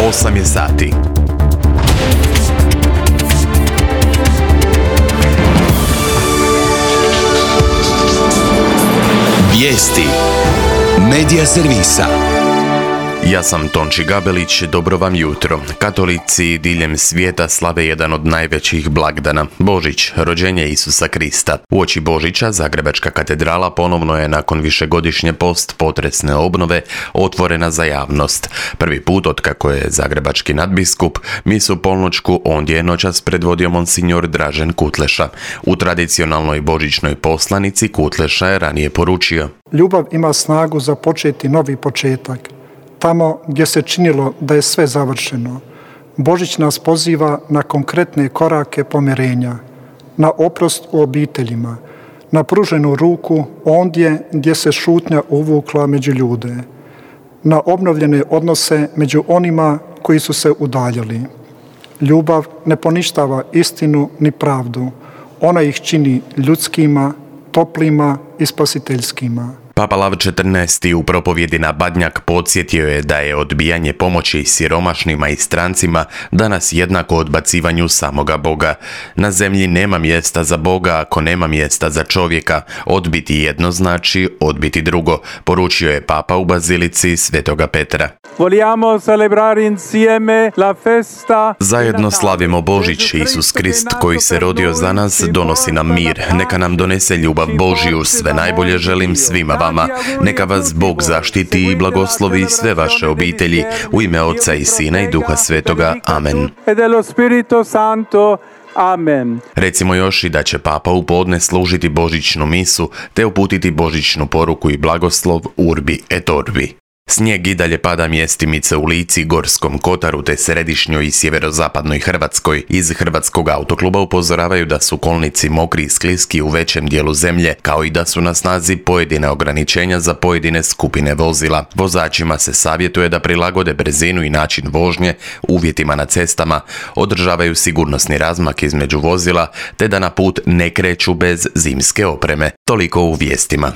8 je sati. Vijesti Medija servisa. Ja sam Tonči Gabelić, dobro vam jutro. Katolici diljem svijeta slave jedan od najvećih blagdana, Božić, rođenje Isusa Krista. Uoči Božića Zagrebačka katedrala ponovno je nakon višegodišnje post-potresne obnove otvorena za javnost. Prvi put otkako je zagrebački nadbiskup misu polnoćku ondje je noćas predvodio monsignor Dražen Kutleša. U tradicionalnoj božićnoj poslanici Kutleša je ranije poručio: Ljubav ima snagu započeti novi početak. Tamo gdje se činilo da je sve završeno, Božić nas poziva na konkretne korake pomirenja, na oprost u obiteljima, na pruženu ruku ondje gdje se šutnja uvukla među ljude, na obnovljene odnose među onima koji su se udaljili. Ljubav ne poništava istinu ni pravdu, ona ih čini ljudskima, toplima i spasiteljskima. Papa Lav XIV. U propovjedi na Badnjak podsjetio je da je odbijanje pomoći siromašnima i strancima danas jednako odbacivanju samoga Boga. Na zemlji nema mjesta za Boga ako nema mjesta za čovjeka. Odbiti jedno znači odbiti drugo, poručio je Papa u Bazilici Svetoga Petra. Zajedno slavimo Božić. Isus Krist koji se rodio za nas donosi nam mir. Neka nam donese ljubav Božju. Sve najbolje želim svima vama. Neka vas Bog zaštiti i blagoslovi sve vaše obitelji. U ime Oca i Sina i Duha Svetoga. Amen. Amen. Recimo još i da će Papa u podne služiti božićnu misu te uputiti božićnu poruku i blagoslov Urbi et Orbi. Snijeg i dalje pada mjestimice u Lici, Gorskom kotaru te središnjoj i sjeverozapadnoj Hrvatskoj. Iz Hrvatskog autokluba upozoravaju da su kolnici mokri i skliski u većem dijelu zemlje, kao i da su na snazi pojedine ograničenja za pojedine skupine vozila. Vozačima se savjetuje da prilagode brzinu i način vožnje uvjetima na cestama, održavaju sigurnosni razmak između vozila te da na put ne kreću bez zimske opreme. Toliko u vijestima.